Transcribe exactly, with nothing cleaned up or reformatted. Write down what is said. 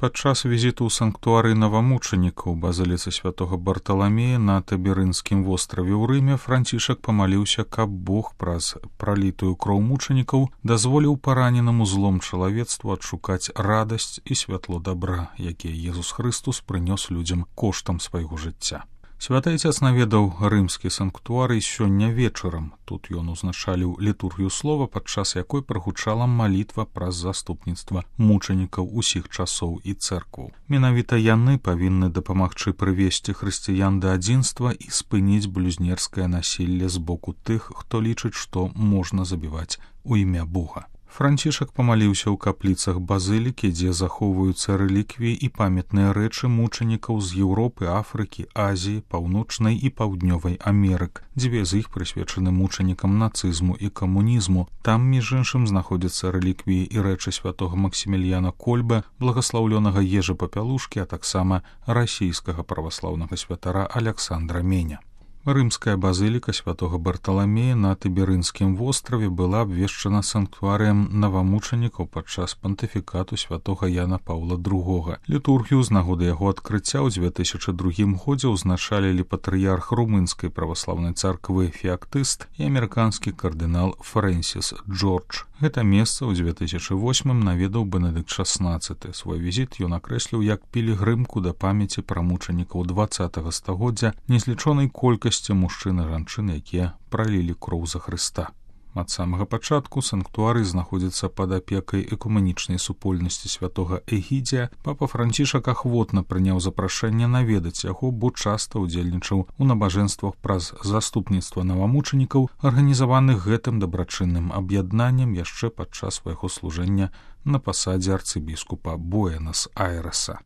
Падчас візіту ў санктуарый навамучанікаў базыліцы святога Барталамея на Таберынскім востраве ў Рыме Францішак памаліўся, каб Бог праз пралітую кроў мучанікаў дазволіў параненаму злом чалавецтву адшукаць радасць і святло дабра, якія Езус Хрыстус прынёс людзям коштам свайго жыцця. Святы Ацец наведаў рымскі санктуарый сёння вечарам. Тут ён узначаліў літургію слова, падчас якой прагучала малітва праз заступніцтва мучанікаў усіх часоў і цэркваў. Менавіта яны павінны дапамагчы прывесці хрысціян да адзінства і спыніць блюзнерскае насілле з боку тых, хто лічыць, што можна забіваць у імя Бога. Францішак памаліўся ў капліцах базылікі, дзе захоўваюцца рэліквіі і памятныя рэчы мучанікаў з Еўропы, Афрыкі, Азіі, Паўночнай і Паўднёвай Амерык. Дзве з іх прысвечаны мучанікам нацызму і камунізму. Там, між іншым, знаходзяцца рэліквіі і рэчы святога Максіміліяна Кольба, благаслаўлёнага Ежы Папялушкі, а таксама расійскага праваслаўнага святара Аляксандра Меня. Рымская базыліка святога Барталамея на Таберынскім востраве была абвешчана санктуарыем навамучанікаў падчас пантыфікату святога Яна Паўла другога. Літургію з нагоды яго адкрыцця ў дзве тысячы другім годзе ўзначалілі патрыярх румынскай праваслаўнай царквы Феактыст і амерыканскі кардынал Фрэнсіс Джордж. Гэта месца ў дзве тысячы восьмым наведаў Бенедыкт шаснаццаты. Свой візіт ён акрэсліў як пілігрымку да памяці пра мучанікаў дваццатага стагоддзя, незлічонай колькасці мужчын і жанчын, якія пралілі кроў за Хрыста. Ад самага пачатку санктуарый знаходзіцца пад апекай экуменічнай супольнасці святога Эгідзія. Папа Францішак ахвотна прыняў запрашэнне наведаць яго, бо часта ўдзельнічаў у набажэнствах праз заступніцтва навамучанікаў, арганізаваных гэтым дабрачынным аб'яднаннем яшчэ падчас свайго служэння на пасадзе арцыбіскупа Буэнас-Айрэса.